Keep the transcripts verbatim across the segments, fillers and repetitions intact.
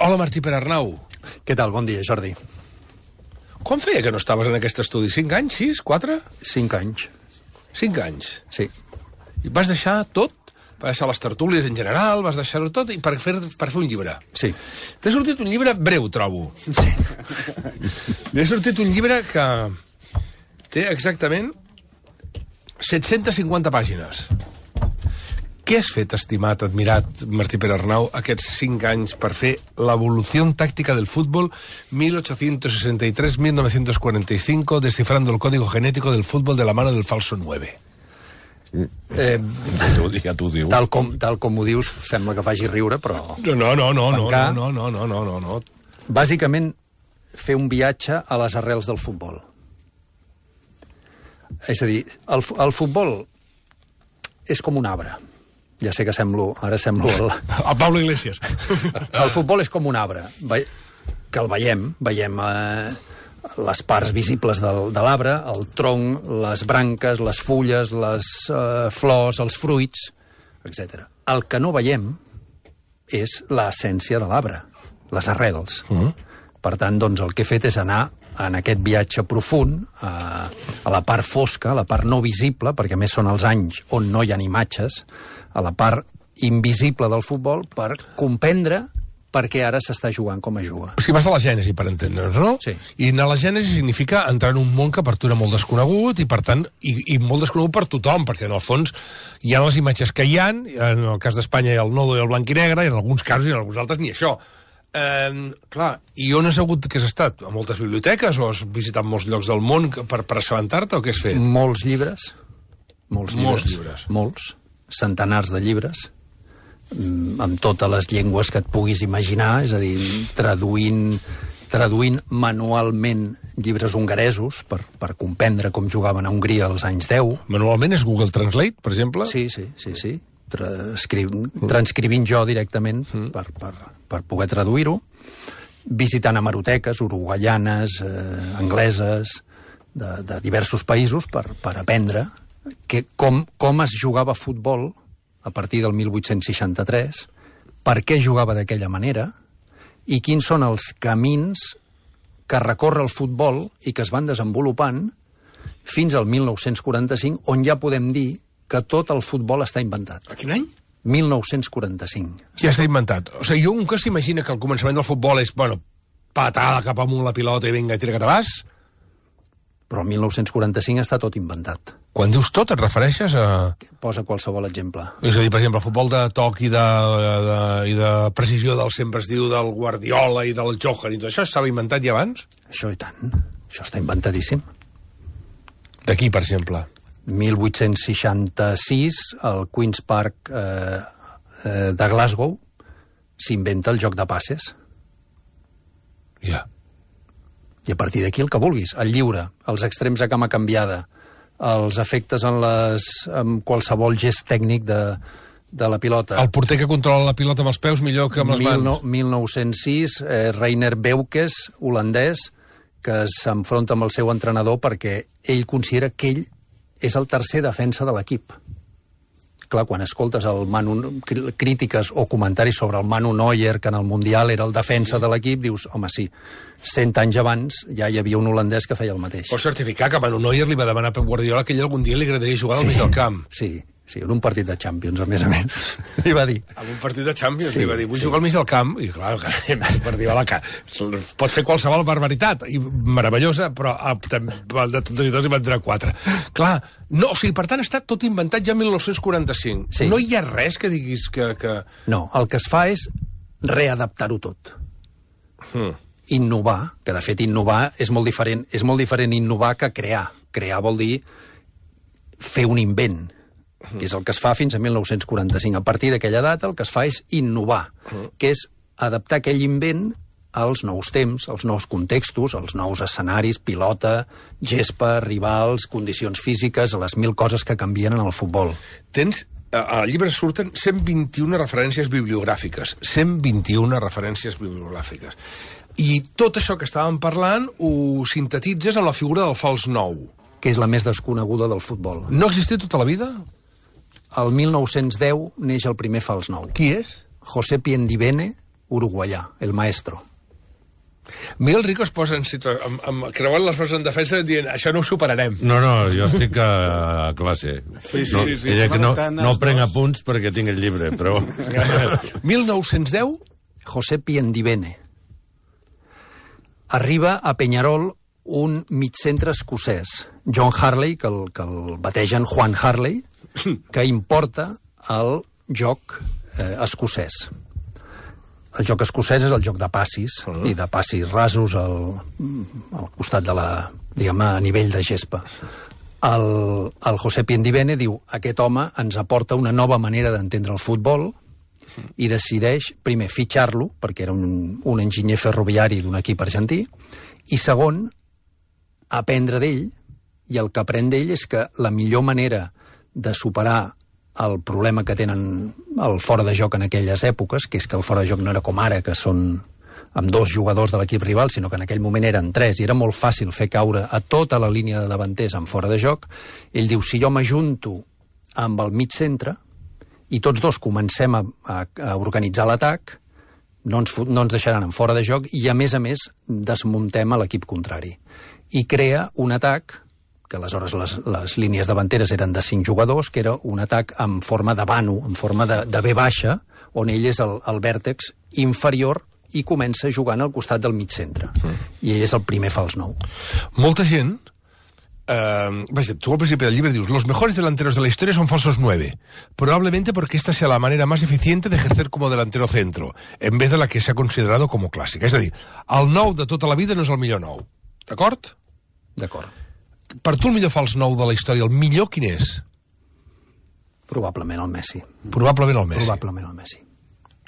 Hola, Martí Perarnau. Què tal? Bon dia, Jordi. Quan feia que no estaves en aquest estudi? Cinc anys? Sis? Quatre? Cinc anys. Cinc anys? Sí. I vas deixar tot? Vas deixar les tertúlies en general, vas deixar-ho tot i per fer, per fer un llibre. Sí. T'ha sortit un llibre breu, trobo. Sí. M'ha sortit un llibre que té exactament set-centes cinquanta pàgines. Què has fet, estimat, admirat, Martí Perarnau, aquests cinc anys per fer l'evolució tàctica del futbol mil ochocientos sesenta y tres a mil novecientos cuarenta y cinco, descifrando el código genético del fútbol de la mano del falso nueve? Eh, Ja t'ho diu. tal, com, tal com ho dius, sembla que faci riure, però... No, no, no, no, no, Tancar. no, no, no, no, no, no. Bàsicament, fer un viatge a les arrels del futbol. És a dir, el, fu- el futbol és com un arbre. Ja sé que semblo, ara semblo... El, A Pablo Iglesias. el futbol és com un arbre, ve- que el veiem, veiem eh, les parts visibles del, de l'arbre, el tronc, les branques, les fulles, les eh, flors, els fruits, etcètera. El que no veiem és l'essència de l'arbre, les arrels. Mm. Per tant, doncs, el que he fet és anar en aquest viatge profund a, a la part fosca, a la part no visible, perquè a més són els anys on no hi ha imatges, a la part invisible del futbol, per comprendre per què ara s'està jugant com es juga. O sigui, vas a la gènesi, per entendre'ns, no? Sí. I anar a la gènesi significa entrar en un món que per tu era molt desconegut i, per tant, i, i molt desconegut per tothom, perquè, en el fons, hi ha les imatges que hi ha, en el cas d'Espanya hi ha el nodo i el blanc i negre, i en alguns casos i en alguns altres ni això. Eh, clar, i on has hagut que has estat? A moltes biblioteques o has visitat molts llocs del món per, per assabentar-te o què has fet? Molts llibres. Molts llibres. Molts llibres. Molts. Centenars de llibres. mm, Amb totes les llengües que et puguis imaginar, és a dir, traduint, traduint manualment llibres hongaresos per, per comprendre com jugaven a Hongria als anys deu. Manualment és Google Translate, per exemple? Sí, sí, sí, sí. Transcriu, transcrivint jo directament mm. per, per, per poder traduir-ho, visitant hemeroteques uruguaianes, eh, angleses, de, de diversos països per, per aprendre que, com, com es jugava a futbol a partir del mil vuit-cents seixanta-tres, per què jugava d'aquella manera i quins són els camins que recorre el futbol i que es van desenvolupant fins al mil nou-cents quaranta-cinc, on ja podem dir que tot el futbol està inventat. A quin any? mil nou-cents quaranta-cinc. Ja està inventat. O sigui, jo un que s'imagina que el començament del futbol és, bueno, patada cap amunt la pilota i vinga, i tira que te vas. Però el mil nou-cents quaranta-cinc està tot inventat. Quan dius tot, et refereixes a... Posa qualsevol exemple. És a dir, per exemple, el futbol de toc i de, de, i de precisió del sempre es diu del Guardiola i del Johan i tot això estava inventat ja abans? Això i tant. Això està inventadíssim. D'aquí, per exemple. mil vuit-cents seixanta-sis, al Queen's Park eh, eh, de Glasgow, s'inventa el joc de passes. Ja. Yeah. I a partir d'aquí el que vulguis. El lliure, els extrems a cama canviada, els efectes en, les, en qualsevol gest tècnic de, de la pilota. El porter que controla la pilota amb els peus millor que amb les mans. mil nou-cents sis, eh, Reiner Beukes, holandès, que s'enfronta amb el seu entrenador perquè ell considera que ell és el tercer defensa de l'equip. Clar, quan escoltes el Manu, crítiques o comentaris sobre el Manu Neuer, que en el Mundial era el defensa de l'equip, dius, home, sí, cent anys abans ja hi havia un holandès que feia el mateix. Pots certificar que Manu Neuer li va demanar a Pep Guardiola que ell algun dia li agradaria jugar al mig del camp. Sí, sí, en un partit de Champions, a més a més. Li va dir. En un partit de Champions, Sí, li va dir, vull sí. jugar al mig del camp. I clar, Guardiola, que pot fer qualsevol barbaritat, i meravellosa, però ah, també, de tots i tots hi van entrar quatre. Clar, no, o sigui, per tant, està tot inventat ja en mil nou-cents quaranta-cinc. Sí. No hi ha res que diguis que... que... No, el que es fa és readaptar-ho tot. Hmm. Innovar, que de fet innovar és molt diferent, és molt diferent innovar que crear. Crear vol dir fer un invent, que és el que es fa fins a mil nou-cents quaranta-cinc. A partir d'aquella data el que es fa és innovar, que és adaptar aquell invent als nous temps, als nous contextos, als nous escenaris, pilota, gespa, rivals, condicions físiques, a les mil coses que canvien en el futbol. Tens... Al llibre surten cent vint-i-una referències bibliogràfiques. cent vint-i-una referències bibliogràfiques. I tot això que estàvem parlant ho sintetitzes en la figura del fals nou. Que és la més desconeguda del futbol. No ha existit tota la vida? El mil nou-cents deu neix el primer fals nou. Qui és? José Piendivene, uruguaià, el maestro. Miguel Rico es posa en situa... amb, amb, creuant les coses en defensa dient això no ho superarem. No, no, jo estic a, a classe. Sí, sí, no, sí, sí. Ella que no, no prenc apunts perquè tinc el llibre, però... mil nou-cents deu? José Piendivene. Arriba a Peñarol un mitcentre escocès, John Harley, que el, que el bategen Juan Harley, que importa el joc eh, escocès. El joc escocès és el joc de passis, uh -huh. i de passis rasos al, al costat de la, diguem, a nivell de gespa. El, el José Piendivene diu, aquest home ens aporta una nova manera d'entendre el futbol, i decideix, primer, fitxar-lo, perquè era un, un enginyer ferroviari d'un equip argentí, i segon, aprendre d'ell, i el que aprèn d'ell és que la millor manera de superar el problema que tenen el fora de joc en aquelles èpoques, que és que el fora de joc no era com ara, que són amb dos jugadors de l'equip rival, sinó que en aquell moment eren tres, i era molt fàcil fer caure a tota la línia de davanters en fora de joc. Ell diu, si jo m'ajunto amb el mig centre, i tots dos comencem a, a, a organitzar l'atac, no ens, no ens deixaran en fora de joc, i a més a més desmuntem a l'equip contrari. I crea un atac, que aleshores les, les línies davanteres eren de cinc jugadors, que era un atac en forma de vano, en forma de, de V baixa, on ell és el, el vèrtex inferior i comença jugant al costat del mig centre. Mm. I ell és el primer fals nou. Molta gent... Uh, vaja, tú al principio del libro dices, los mejores delanteros de la historia son falsos nueve, probablemente porque esta sea la manera más eficiente de ejercer como delantero centro, en vez de la que se ha considerado como clásica. És a dir, el nou de tota la vida no és el millor nou. D'acord? D'acord. Per tu el millor fals nou de la història, el millor quin és? Probablement el Messi. Probablement el Messi. Probablement el Messi.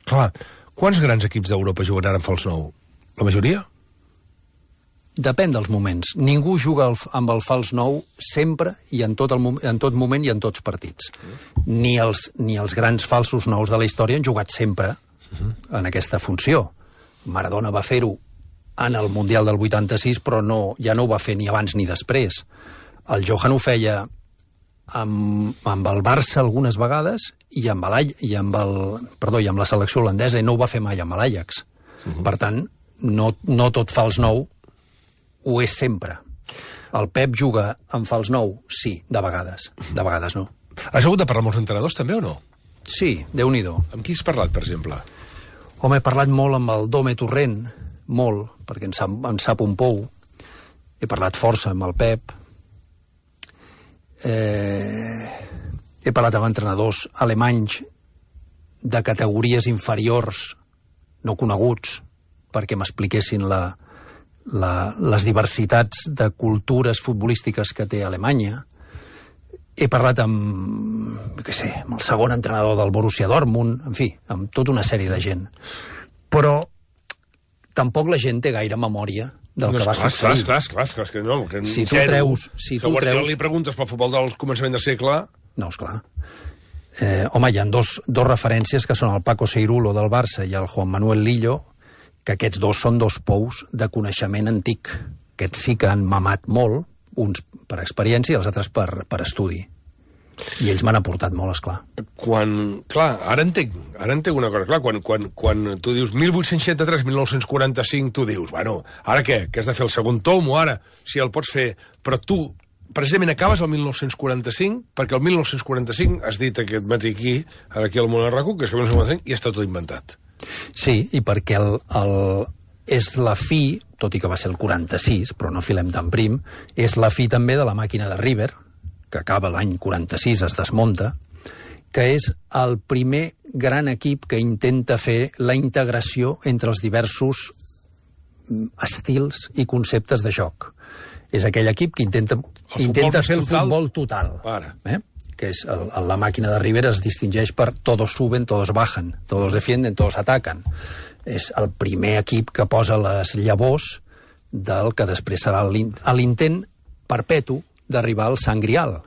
Clar, quants grans equips d'Europa jugaran en fals nou? La majoria? Depèn dels moments. Ningú juga el, amb el fals nou sempre i en tot, el, en tot moment i en tots partits. Ni els, ni els grans falsos nous de la història han jugat sempre en aquesta funció. Maradona va fer-ho en el Mundial del vuitanta-sis, però no, ja no ho va fer ni abans ni després. El Johan ho feia amb, amb el Barça algunes vegades i amb, el, i, amb el, perdó, i amb la selecció holandesa, i no ho va fer mai amb l'Ajax. Uh-huh. Per tant, no, no tot fals nou ho és sempre. El Pep juga en fals nou? Sí, de vegades. De vegades no. Has hagut de parlar amb els entrenadors també o no? Sí, Déu-n'hi-do. Amb qui has parlat, per exemple? Home, he parlat molt amb el Dome Torrent, molt, perquè en sap, en sap un pou. He parlat força amb el Pep. Eh, he parlat amb entrenadors alemanys de categories inferiors, no coneguts, perquè m'expliquessin la, la, les diversitats de cultures futbolístiques que té Alemanya. He parlat amb, què sé, amb el segon entrenador del Borussia Dortmund, en fi, amb tota una sèrie de gent. Però tampoc la gent té gaire memòria del no, que va clar, succeir. Clar, clar, clar, clar, que no. Que si tu zero, treus... Si que tu Guardiola treus... li preguntes pel futbol del començament del segle... No, esclar. Eh, home, hi ha dos, dos referències que són el Paco Seirulo del Barça i el Juan Manuel Lillo, que aquests dos són dos pous de coneixement antic. Aquests sí que han mamat molt, uns per experiència i els altres per, per estudi. I ells m'han aportat molt, esclar. Quan, clar, ara entenc, ara entenc una cosa, clar, quan, quan, quan tu dius mil vuit-cents seixanta-tres mil nou-cents quaranta-cinc, tu dius, bueno, ara què? Que has de fer el segon tom o ara? Si el pots fer... Però tu, precisament, acabes el mil nou-cents quaranta-cinc, perquè el mil nou-cents quaranta-cinc has dit aquest matí aquí, ara aquí al Monarraco, que és que el mil nou-cents quaranta-cinc i està tot inventat. Sí, i perquè el, el, és la fi, tot i que va ser el quaranta-sis, però no filem tan prim, és la fi també de la màquina de River, que acaba l'any quaranta-sis, es desmunta, que és el primer gran equip que intenta fer la integració entre els diversos estils i conceptes de joc. És aquell equip que intenta, intenta fer el total. futbol total. Ara. Eh? Que és el, la màquina de River es distingeix per todos suben, todos bajan, todos defienden, todos atacan. És el primer equip que posa les llavors del que després serà l'intent perpetu d'arribar al Sant Grial,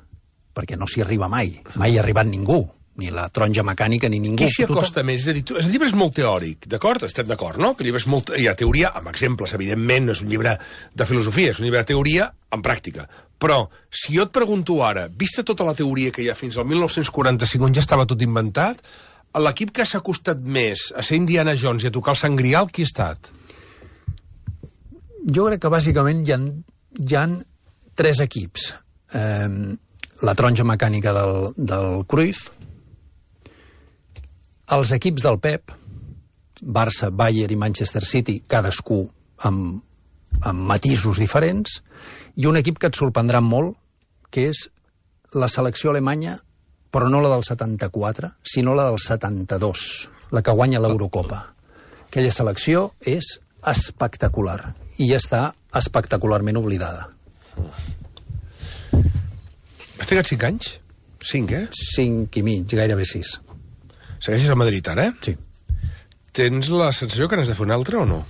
perquè no s'hi arriba mai. Mai hi ha arribat ningú, ni la taronja mecànica ni ningú. Qui s'hi acosta Tothom... més? És a dir, tu, el llibre és molt teòric, d'acord? Estem d'acord, no? Que el llibre és molt... Hi ha teoria, amb exemples, evidentment, no és un llibre de filosofia, és un llibre de teoria en pràctica. Però, si jo et pregunto ara, vista tota la teoria que hi ha fins al mil nou-cents quaranta-cinc, on ja estava tot inventat, l'equip que s'ha costat més a ser Indiana Jones i a tocar el Sant Grial, qui ha estat? Jo crec que bàsicament hi ha, hi ha tres equips. Eh, la taronja mecànica del, del Cruyff, els equips del Pep, Barça, Bayern i Manchester City, cadascú amb, amb matisos diferents, i un equip que et sorprendrà molt, que és la selecció alemanya, però no la del setanta-quatre, sinó la del setanta-dos, la que guanya l'Eurocopa. Aquella selecció és espectacular i està espectacularment oblidada. Has trigat cinc anys? Cinc, eh? Cinc i mig, gairebé sis. Segueixes a Madrid ara, eh? Sí. Tens la sensació que n'has de fer un altre o no?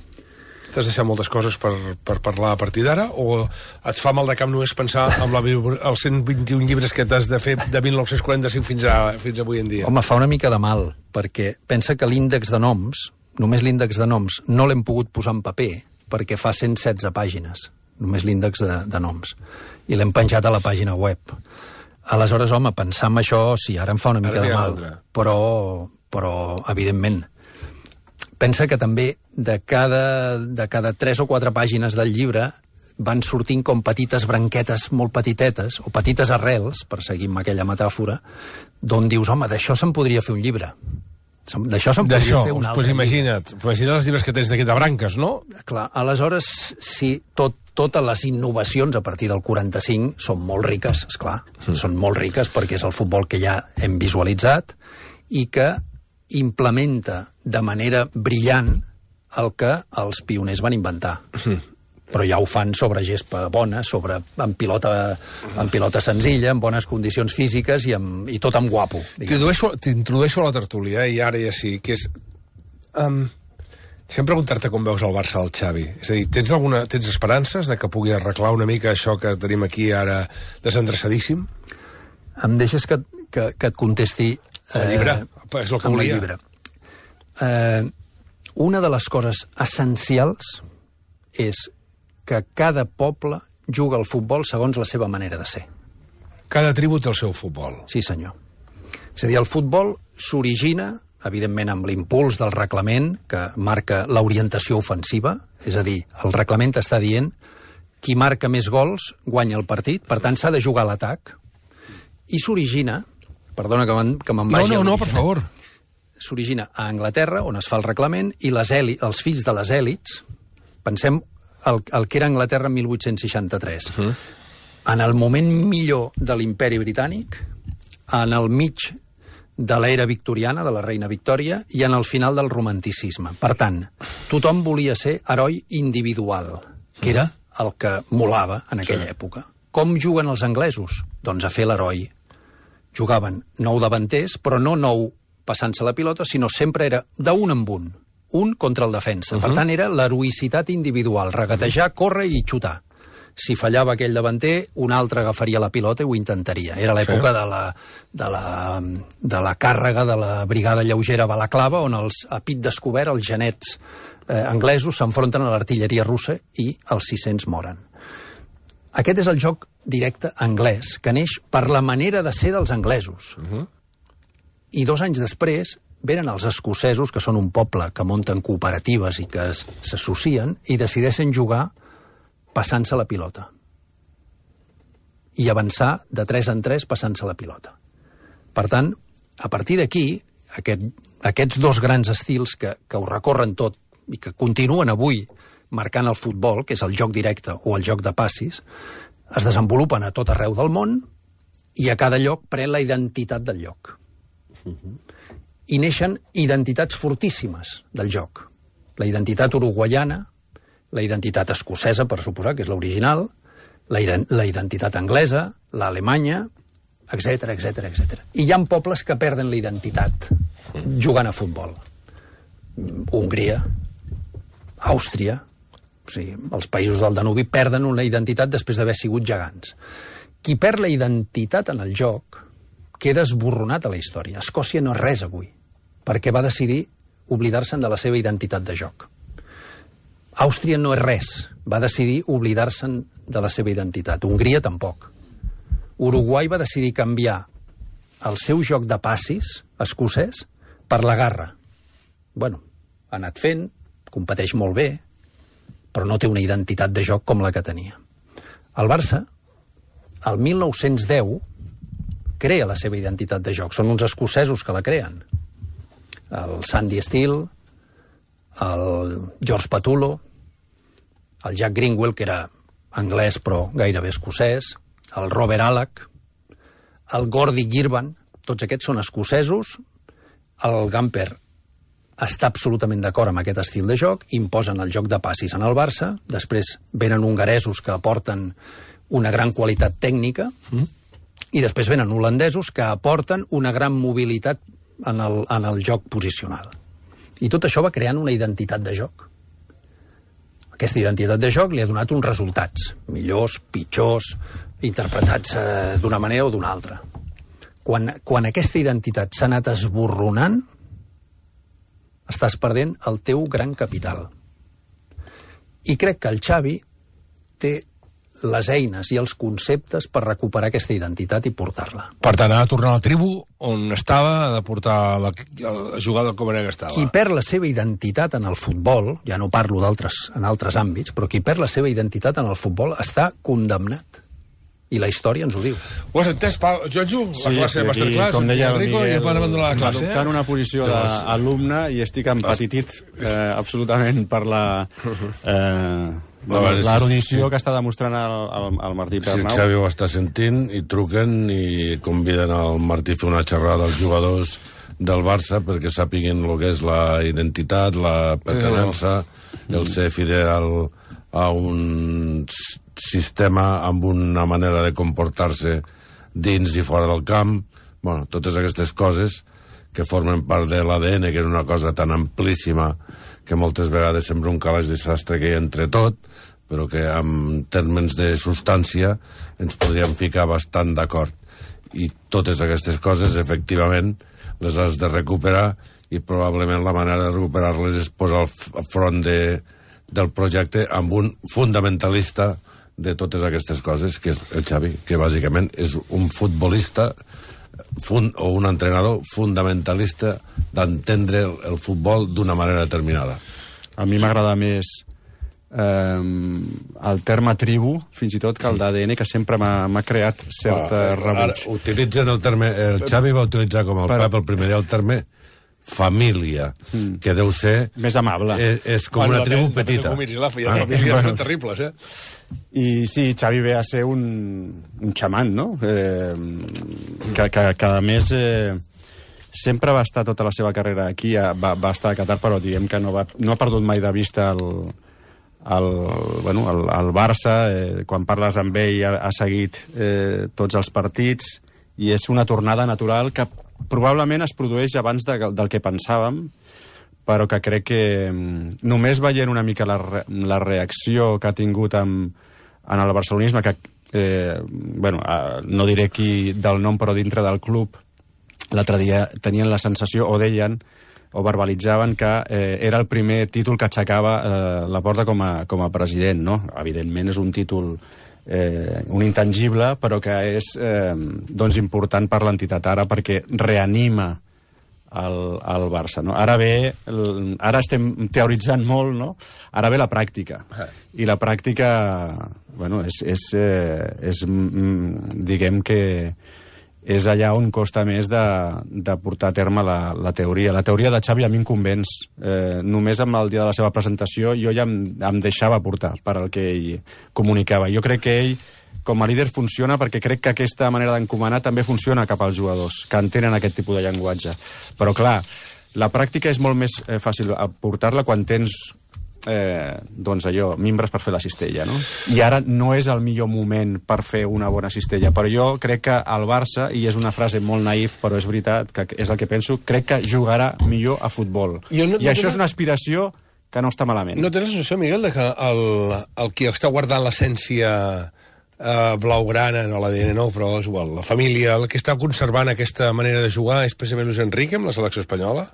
T'has deixat moltes coses per, per parlar a partir d'ara, o et fa mal de cap només pensar en la, els cent vint-i-un llibres que t'has de fer de mil nou-cents quaranta-cinc fins, a, fins avui en dia? Home, fa una mica de mal, perquè pensa que l'índex de noms, només l'índex de noms, no l'hem pogut posar en paper, perquè fa cent setze pàgines, només l'índex de, de noms, i l'hem penjat a la pàgina web. Aleshores, home, pensar en això, sí, ara em fa una mica de mal, però, però, evidentment, pensa que també de cada, de cada tres o quatre pàgines del llibre van sortint com petites branquetes molt petitetes, o petites arrels, per seguir amb aquella metàfora, d'on dius, home, d'això se'n podria fer un llibre. D'això se'n podria fer un altre pues imagina't, llibre. Imagina't els llibres que tens d'aquí de branques, no? Clar, aleshores, sí, tot, totes les innovacions a partir del quaranta-cinc són molt riques, esclar, mm. són molt riques perquè és el futbol que ja hem visualitzat i que implementa de manera brillant el que els pioners van inventar. Mm. Però ja ho fan sobre gespa bona, sobre, amb, pilota, amb pilota senzilla, amb bones condicions físiques i, amb, i tot amb guapo. T'introdueixo a la tertúlia, eh, i ara ja sí, que és... Um, deixa'm preguntar-te com veus el Barça del Xavi. És a dir, tens, alguna, tens esperances de que pugui arreglar una mica això que tenim aquí ara desendreçadíssim? Em deixes que, que, que et contesti... El llibre, eh, és el que volia. Llibre. Eh, una de les coses essencials és que cada poble juga al futbol segons la seva manera de ser. Cada tribu té el seu futbol. Sí, senyor. És a dir, el futbol s'origina, evidentment, amb l'impuls del reglament, que marca l'orientació ofensiva, és a dir, el reglament està dient qui marca més gols guanya el partit, per tant s'ha de jugar a l'atac, i s'origina, perdona que me'n que me'n vagi... No, no, no, per favor. S'origina a Anglaterra, on es fa el reglament, i les èli, els fills de les èlits, pensem el, el que era Anglaterra en mil vuit-cents seixanta-tres. Uh -huh. En el moment millor de l'imperi britànic, en el mig de l'era victoriana, de la reina Victòria, i en el final del romanticisme. Per tant, tothom volia ser heroi individual, que era el que molava en aquella sí. època. Com juguen els anglesos? Doncs a fer l'heroi. Jugaven nou davanters, però no nou passant-se la pilota, sinó sempre era d'un en un. Un contra el defensa. Uh -huh. Per tant, era l'heroïcitat individual, regatejar, córrer i xutar. Si fallava aquell davanter, un altre agafaria la pilota i ho intentaria. Era l'època sí. de, la, de, la, de la càrrega de la brigada lleugera balaclava, on els, a pit descobert els genets eh, anglesos s'enfronten a l'artilleria russa i els sis-cents moren. Aquest és el joc directe anglès, que neix per la manera de ser dels anglesos. Uh -huh. I dos anys després venen els escocesos, que són un poble que munten cooperatives i que s'associen, i decideixen jugar passant-se la pilota. I avançar de tres en tres passant-se la pilota. Per tant, a partir d'aquí, aquest, aquests dos grans estils que, que ho recorren tot i que continuen avui marcant el futbol, que és el joc directe o el joc de passis, es desenvolupen a tot arreu del món i a cada lloc pren la identitat del lloc. Uh-huh. I neixen identitats fortíssimes del joc. La identitat uruguaiana, la identitat escocesa, per suposar, que és l'original, la, la identitat anglesa, l'alemanya, etc etc etc. I hi ha pobles que perden la identitat jugant a futbol. Hongria, Àustria, o sigui, els països del Danubi perden una identitat després d'haver sigut gegants. Qui perd la identitat en el joc queda esborronat a la història. Escòcia no és res avui, perquè va decidir oblidar-se'n de la seva identitat de joc. Àustria no és res, va decidir oblidar-se'n de la seva identitat. Hongria tampoc. Uruguai va decidir canviar el seu joc de passis escocès per la garra. Bueno, ha anat fent, competeix molt bé, però no té una identitat de joc com la que tenia. El Barça, el mil nou-cents deu, crea la seva identitat de joc. Són uns escocesos que la creen. El Sandy Steele, el George Patullo, el Jack Greenwell, que era anglès però gairebé escocès, el Robert Alec, el Gordy Girvan, tots aquests són escocesos. El Gamper està absolutament d'acord amb aquest estil de joc, imposen el joc de passis en el Barça, després venen hongaresos que aporten una gran qualitat tècnica, mm. i després venen holandesos que aporten una gran mobilitat en el, en el joc posicional. I tot això va creant una identitat de joc. Aquesta identitat de joc li ha donat uns resultats, millors, pitjors, interpretats eh, d'una manera o d'una altra. Quan, quan aquesta identitat s'ha anat esborronant, estàs perdent el teu gran capital. I crec que el Xavi té les eines i els conceptes per recuperar aquesta identitat i portar-la. Per tant, ha de tornar a la tribu on estava, ha de portar la, la jugada com era que estava. Qui perd la seva identitat en el futbol, ja no parlo d'altres en altres àmbits, però qui perd la seva identitat en el futbol està condemnat. I la història ens ho diu. Ho has entès, Pau? Jojo? Sí, la classe de masterclass, com deia el Enrico, Miguel, i van abandonar la classe. adoptant una posició d'alumne i estic empatitit eh, absolutament per la... Eh, l'erudició que està demostrant el, el, el Martí Pernau. Si el Xavi ho està sentint i truquen i conviden el Martí a fer una xerrada als jugadors del Barça perquè sàpiguin el que és la identitat, la pertenença, el ser fidel a un sistema amb una manera de comportar-se dins i fora del camp. Bueno, totes aquestes coses que formen part de l'A D N, que és una cosa tan amplíssima que moltes vegades sembla un calaix de sastre que hi ha entre tot, però que en termes de substància ens podríem ficar bastant d'acord. I totes aquestes coses, efectivament, les has de recuperar i probablement la manera de recuperar-les és posar al front de, del projecte amb un fundamentalista de totes aquestes coses, que és el Xavi, que bàsicament és un futbolista fund, o un entrenador fundamentalista d'entendre el, el futbol d'una manera determinada. A mi m'agrada més eh, el terme tribu, fins i tot, que el d'A D N, que sempre m'ha creat cert ah, rebuig. Ara utilitzen el terme... El Xavi va utilitzar com el Però... Pep el primer dia el terme família, mm. que deu ser... Més amable. És, és com bueno, una tribu depèn, petita. Depèn la ah, famílies bueno. terribles, eh? I sí, Xavi ve a ser un, un xaman, no? Eh, que, que, que, a més, eh, sempre va estar tota la seva carrera aquí, va, va estar a Qatar, però diguem que no, va, no ha perdut mai de vista el, el, bueno, el, el Barça. Eh, quan parles amb ell ha, ha seguit eh, tots els partits, i és una tornada natural que probablement es produeix abans de, del que pensàvem, però que crec que només veient una mica la, re, la reacció que ha tingut amb, en el barcelonisme, que eh, bueno, eh, no diré qui del nom, però dintre del club, l'altre dia tenien la sensació, o deien, o verbalitzaven que eh, era el primer títol que aixecava eh, la porta com a, com a president, no? Evidentment és un títol Eh, un intangible, però que és eh, doncs important per l'entitat ara, perquè reanima el, el Barça, no? Ara ve, el, ara estem teoritzant molt, no? Ara ve la pràctica, i la pràctica, bueno, és, és, eh, és mm, diguem que és allà on costa més de, de portar a terme la, la teoria. La teoria de Xavi a mi em convenç. Eh, només amb el dia de la seva presentació jo ja em, em deixava portar per al que ell comunicava. Jo crec que ell, com a líder, funciona perquè crec que aquesta manera d'encomanar també funciona cap als jugadors, que entenen aquest tipus de llenguatge. Però, clar, la pràctica és molt més eh, fàcil portar-la quan tens eh, doncs allò, mimbres per fer la cistella, no? I ara no és el millor moment per fer una bona cistella, però jo crec que el Barça, i és una frase molt naïf, però és veritat, que és el que penso, crec que jugarà millor a futbol. I, no, I això no, és una aspiració que no està malament. No tens la sensació, Miguel, de que el, el qui està guardant l'essència eh, blaugrana, no l'A D N no, però és igual, la família, el que està conservant aquesta manera de jugar és precisament Luis Enrique amb la selecció espanyola?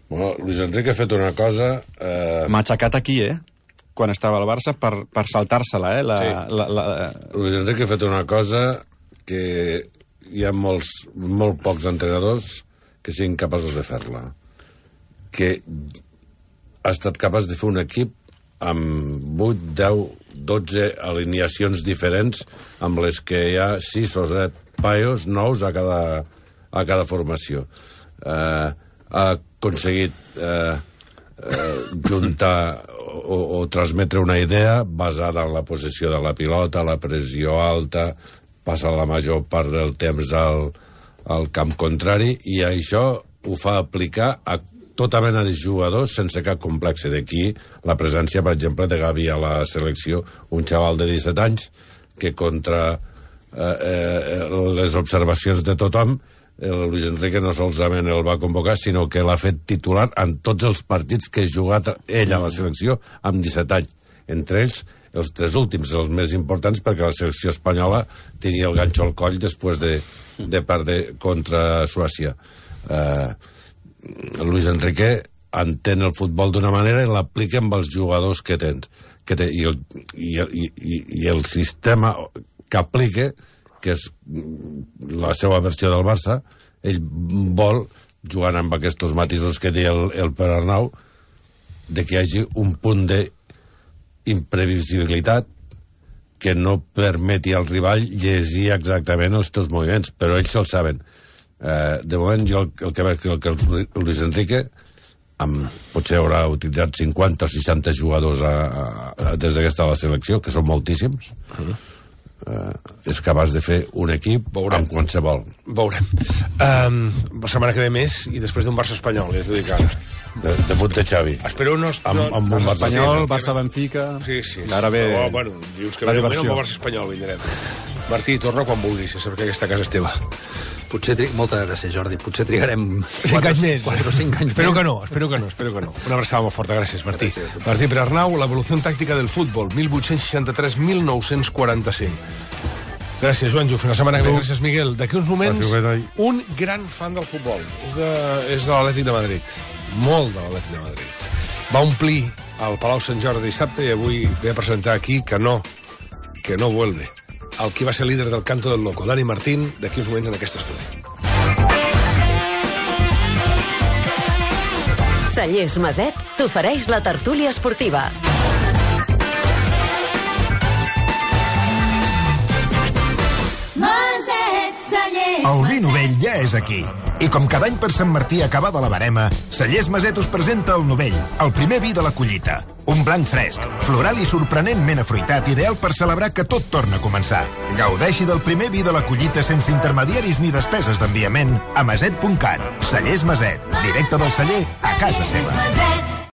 Bueno, Luis Enrique ha fet una cosa... Eh... M'ha aixecat aquí, eh? Quan estava al Barça, per, per saltar-se-la, eh? La, sí. la, la, la... Luis Enrique ha fet una cosa que hi ha molts, molt pocs entrenadors que siguin capaços de fer-la. que ha estat capaç de fer un equip amb vuit, deu, dotze alineacions diferents, amb les que hi ha sis o set paios nous a cada, a cada formació. Eh, ha aconseguit eh, eh, juntar o, o transmetre una idea basada en la possessió de la pilota, la pressió alta, passa la major part del temps al, al camp contrari, i això ho fa aplicar a tota mena de jugadors sense cap complexe. D'aquí la presència, per exemple, de Gavi a la selecció, un xaval de disset anys que contra eh, eh, les observacions de tothom, el Luis Enrique no solament el va convocar, sinó que l'ha fet titular en tots els partits que ha jugat ell a la selecció amb disset anys. Entre ells, els tres últims, els més importants, perquè la selecció espanyola tenia el ganxo al coll després de, de perdre contra Suècia. Eh... Luis Enrique entén el futbol d'una manera i l'aplica amb els jugadors que tens. Que té, i, el, i, i, I el sistema que aplica, que és la seva versió del Barça, ell vol, jugant amb aquests matisos que deia el, el Pere Arnau, de que hi hagi un punt d'imprevisibilitat que no permeti al rival llegir exactament els teus moviments, però ells el saben. Eh, de moment jo el, el que veig que el, que el Luis Enrique amb, potser haurà utilitzat cinquanta o seixanta jugadors a, a, des d'aquesta la selecció, que són moltíssims. Uh-huh. eh, és capaç de fer un equip Veurem. amb qualsevol. Veurem. Um, la setmana que ve més, i després d'un Barça espanyol, ja t'ho dic ara. De, debut de Xavi. Espero no... Amb, amb un Barça espanyol, Barça-Benfica... Sí, sí. sí. Ara ve... Oh, bueno, dius que ve amb el Barça espanyol, vindrem. Martí, torna quan vulguis, ja saps que aquesta casa és teva. Potser tri... Moltes gràcies, Jordi. Potser trigarem cinc anys més. quatre o cinc anys espero més. Que no, espero que no, espero que no. Una abraçada molt forta, gràcies, Martí. Gràcies. Martí Pere Arnau, l'evolució tàctica del futbol, mil vuit-cents seixanta-tres a mil nou-cents quaranta-cinc. Gràcies, Joanjo. Fins la setmana que ve. Gràcies, Miguel. D'aquí uns moments, un gran fan del futbol. És de, és de l'Atlètic de Madrid. Molt de l'Atlètic de Madrid. Va omplir el Palau Sant Jordi dissabte i avui ve a presentar aquí que no, que no vuelve. El qui va ser líder del Canto del Loco, Dani Martín, d'aquí uns moments en aquest estudi. Cellers Maset t'ofereix la tertúlia esportiva. El vi novell ja és aquí. I com cada any per Sant Martí acabada la barema, Cellers Maset us presenta el novell, el primer vi de la collita. Un blanc fresc, floral i sorprenentment afruitat, ideal per celebrar que tot torna a començar. Gaudeixi del primer vi de la collita sense intermediaris ni despeses d'enviament a maset punt cat. Cellers Maset, directe del celler a casa seva.